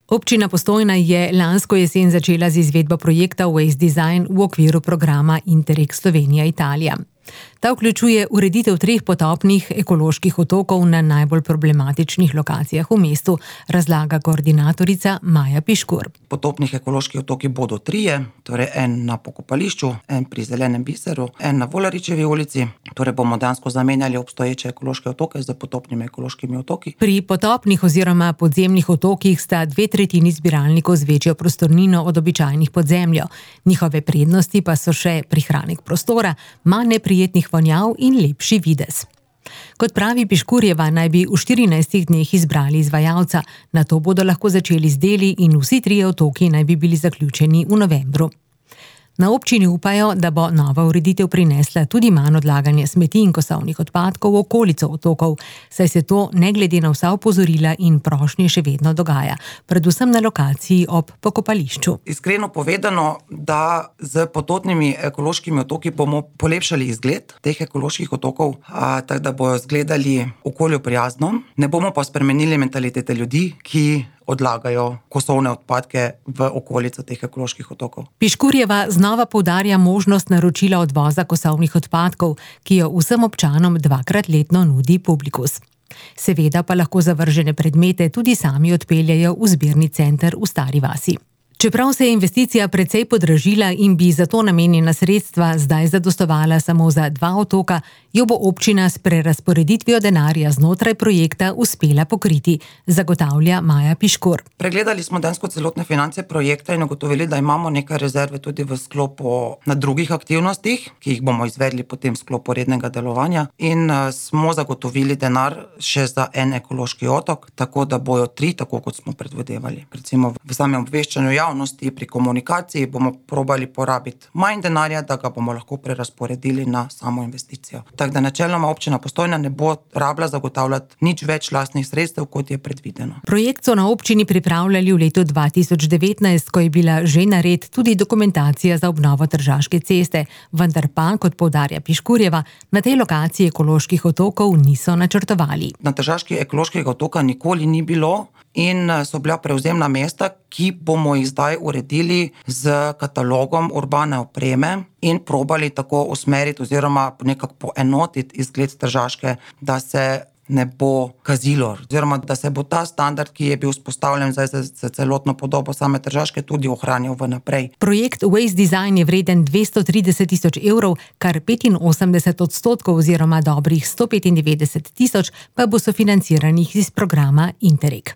Občina Postojna je lansko jesen začela z izvedbo projekta Waste Design v okviru programa Interreg Slovenija-Italija. Ta vključuje ureditev 3 potopnih ekoloških otokov na najbolj problematičnih lokacijah v mestu, razlaga koordinatorica Maja Piškur. Potopnih ekoloških otoki bodo 3, torej en na Pokopališču, en pri Zelenem biseru, en na Volaričevi ulici. Torej bomo dejansko zamenjali obstoječe ekološke otoke z potopnimi ekološkimi otoki. Pri potopnih oziroma podzemnih otokih sta 2/3 zbiralnikov z večjo prostornino od običajnih pod zemljo. Njihove prednosti pa so še prihranek prostora, manj neprijetnih vonjav in lepši videz. Kot pravi Piškurjeva, naj bi v 14 dneh izbrali izvajalca, nato bodo lahko začeli z deli in vsi 3 otoki naj bi bili zaključeni v novembru. Na občini upajo, da bo nova ureditev prinesla tudi manj odlaganja smeti in kosovnih odpadkov v okolico otokov, saj se to ne glede na vsa opozorila in prošnje še vedno dogaja, predvsem na lokaciji ob Pokopališču. Iskreno povedano, da z potopnimi ekološkimi otoki bomo polepšali izgled teh ekoloških otokov, tako da bojo izgledali okolju prijazno, ne bomo pa spremenili mentalitete ljudi, ki odlagajo kosovne odpadke v okolico teh ekoloških otokov. Piškurjeva znova poudarja možnost naročila odvoza kosovnih odpadkov, ki jo vsem občanom 2-krat letno nudi Publikus. Seveda pa lahko zavržene predmete tudi sami odpeljajo v zbirni center v Stari vasi. Čeprav se je investicija precej podražila in bi za to namenjena sredstva zdaj zadostovala samo za 2 otoka, jo bo občina s prerazporeditvijo denarja znotraj projekta uspela pokriti, zagotavlja Maja Piškur. Pregledali smo dejansko celotne finance projekta in ugotovili, da imamo nekaj rezerve tudi v sklopu na drugih aktivnostih, ki jih bomo izvedli potem v sklopu rednega delovanja, in smo zagotovili denar še za en ekološki otok, tako da bojo 3, tako kot smo predvidevali. Recimo v samem obveščanju javnosti, pri komunikaciji bomo probali porabiti manj denarja, da ga bomo lahko prerazporedili na samo investicijo. Tako da načeloma občina Postojna ne bo rabila zagotavljati nič več lastnih sredstev, kot je predvideno. Projekt so na občini pripravljali v letu 2019, ko je bila že nared tudi dokumentacija za obnovo Tržaške ceste, vendar pa, kot poudarja Piškurjeva, na tej lokaciji ekoloških otokov niso načrtovali. Na Tržaški ekološkega otoka nikoli ni bilo in so bila prevzemna mesta, ki bomo jih zdaj uredili z katalogom urbane opreme in probali tako usmeriti oziroma nekako poenotiti izgled Tržaške, da se ne bo kazilo, oziroma da se bo ta standard, ki je bil vzpostavljen zdaj za celotno podobo same Tržaške, tudi ohranil vnaprej. Projekt Waste Design je vreden 230 000 evrov, kar 85% oziroma dobrih 195 000 pa bo sofinanciranih iz programa Interreg.